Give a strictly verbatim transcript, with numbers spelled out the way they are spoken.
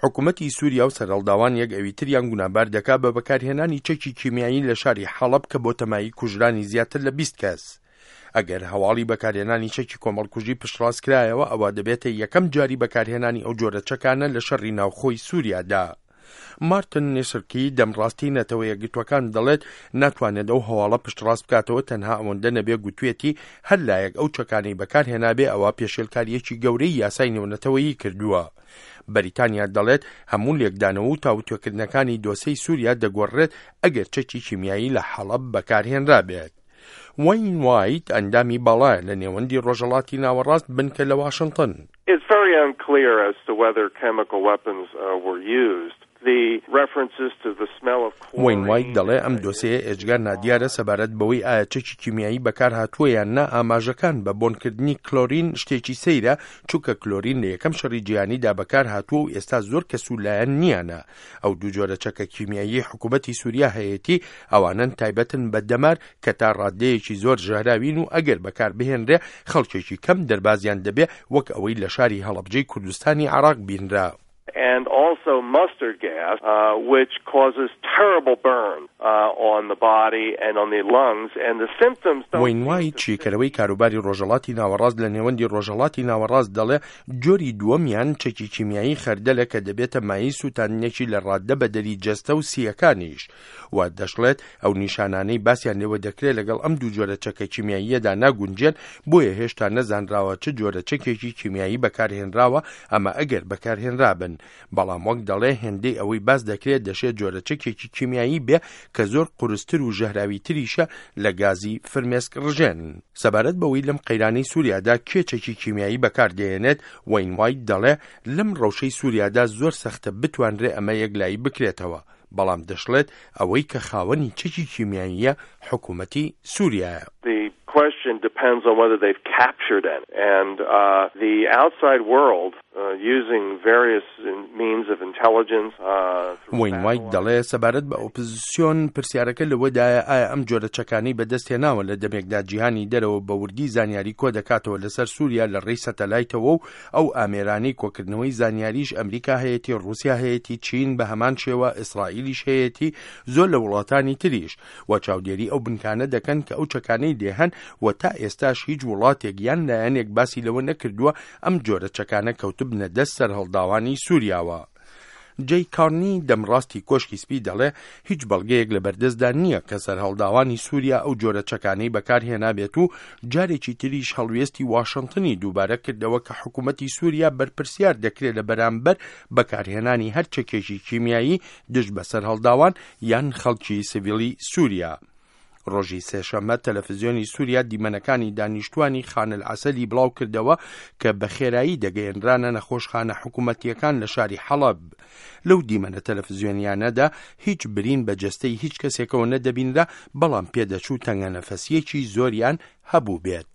حکوومەتی سووریا و سەرهەڵداوان یەک ئەویتریان گوناهبار دەکا بە بەکارهێنانی چەکی کیمیایی لە شاری حەڵەب کە بۆتە مایەی کوژرانی زیاتر لە بیست کەس. ئەگەر هەواڵی بەکارهێنانی چەکی کۆمەڵکوژی پشتڕاست کرایەوە، ئەوە دەبێتە یەکەم جاری بەکارهێنانی ئەو جۆرە چەکانە لە شەڕی ناوخۆی سووریادا. مارتن نیسرکی دەمڕاستی نەتەوە یەکگرتووەکان دەڵێت ناتوانێت ئەو هەواڵە پشتڕاست بکاتەوە، تەنها ئەوەندە نەبێ گوتوێتی هەر لایەک ئەو چەکانەی بەکارهێنابێ ئەوە پێشێلکاریەکی گەورەی یاسای نێونەتەوەیی کردووە. بەریتانیا دەڵێت هەموو لێکدانەوە و تاوتوێکردنەکانی دۆسێی سووریا دەگۆڕێت ئەگەر چەکی کیمیایی لە حەڵەب بەکارهێنرابێت. وەین وایت ئەندامی باڵایە لە نێوەندی ڕۆژهەڵاتی ناوەڕاست بنکە لە واشنتن. It's very unclear as to whether chemical weapons uh, were used. The references to the smell of وەین وایت دەڵێ ئەم دۆسێیە ئێجگار نادیارە سەبارەت بەوەی ئایا چەکی کیمیایی بەکار هاتووە یان نا. ئاماژەکان بە بۆنکردنی کلۆرین شتێکی سەیرە، چونکە کلۆرین لە یەکەم شەڕی جیهانیدا بەکار هاتووە و ئێستا زۆر کەس و لایەن نییانە. ئەو دوو جۆرە چەکە کیمیایی حکوومەتی سووریا هەیەتی ئەوانەن تایبەتن بە دەمار کە تا ڕادەیەکی زۆر ژەهراوین و ئەگەر بەکار بهێنرێ خەڵکێکی کەم دەربازیان دەبێ، وەک ئەوەی لە شاری هەڵەبجەی کوردستانی عێراق بینرا. And also mustard gas, uh, which causes terrible burn uh, on the body and on the lungs. And the symptoms don't وەین وایت شیکەرەوەی کاروباری ڕۆژهەڵاتی ناوەڕاست لە نێوەندی ڕۆژهەڵاتی ناوەڕاست دەڵێ جۆری دووەمیان چەکی کیمیایی خەردەلە کە دەبێتە مایەی سووتاندنێکی لە ڕاددە بەدەری جەستە و سییەکانیش و دەشڵێت ئەو نیشانانەی باسیان لێوە دەکرێت لەگەڵ ئەم دوو جۆرە چەکە کیمیاییەدا ناگونجێن، بۆیە هێشتا نەزانراوە چ جۆرە چەکێکی کیمیایی بەکارهێنراوە، ئەمە ئەگەر بەکارهێنرابن. بەڵام وەک دەڵێ هێندەی ئەوەی باس دەکرێت دەشێت جۆرە چەکێکی کیمیایی بێ کە زۆر قورستر و ژەهراویتریشە لە گازی فرمێسک ڕژێن. سەبارەت بەوەی لەم قەیرانەی سووریادا کێ چەکی کیمیایی بەکاردێنێت، وەین وایت دەڵێ لەم ڕەوشەی سووریادا زۆر سەختە بتوانرێ ئەمە یەکلایی بکرێتەوە، بەڵام دەشڵێت ئەوەی کە خاوەنی چەکی کیمیاییە حکوومەتی سووریایە. The question depends on whether they've captured any. And uh, the outside world, uh, using various means of intelligence, uh, وەین وایت دەڵێ سەبارەت بە ئۆپۆزیسیۆن پرسیارەکە لەوەدایە ئایا ئەم جۆرە چەکانەی بەدەستهێناوە لە دەمێکدا جیهانی دەرەوە بە وردی زانیاری کۆ دەکاتەوە لەسەر سووریا لە ڕێی سەتەلایتەوە و ئەو ئامێرانەی کۆکردنەوەی زانیاریش ئەمریکا هەیەتی، ڕوسیا هەیەتی، چین بە هەمان شێوە، ئیسرائیلیش هەیەتی، زۆر لە وڵاتانی تریش و چاودێری ئەو بنکانە دەکەن کە ئەو چەکانەی لێهەن و تا ئێستاش هیچ وڵاتێک یان لایەنێک باسی لەوە نەکردووە ئەم جۆرە چەکانە کەوتبنە دەست سەرهەڵداوانی سووریاوە. جەی کارنی دەمڕاستی کۆشکی سپی دەڵێ هیچ بەڵگەیەک لە بەردەستدا نییە کە سەرهەڵداوانی سووریا ئەو جۆرە چەکانەی بەکارهێنابێت و جارێکی تریش هەڵوێستی واشنتنی دووبارە کردەوە کە حکوومەتی سووریا بەرپرسیار دەکرێت لە بەرامبەر بەکارهێنانی هەر چەکێکی کیمیایی دژ بە سەرهەڵداوان یان خەڵکی سیڤیلی سووریا. ڕۆژی سێشەممە تەلەفزیۆنی سووریا دیمەنەکانی دانیشتوانی خانل عەسەلی بڵاو کردەوە کە بە خێرایی دەگەیەنرانە نەخۆشخانە حکوومەتیەکان لە شاری حەڵەب. لەو دیمەنە تەلەفزیۆنیانەدا هیچ برین بە جەستەی هیچ کەسێکەوە نەدەبینرا، بەڵام پێدەچوو تەنگە نەفەسیەکی زۆریان هەبوو بێت.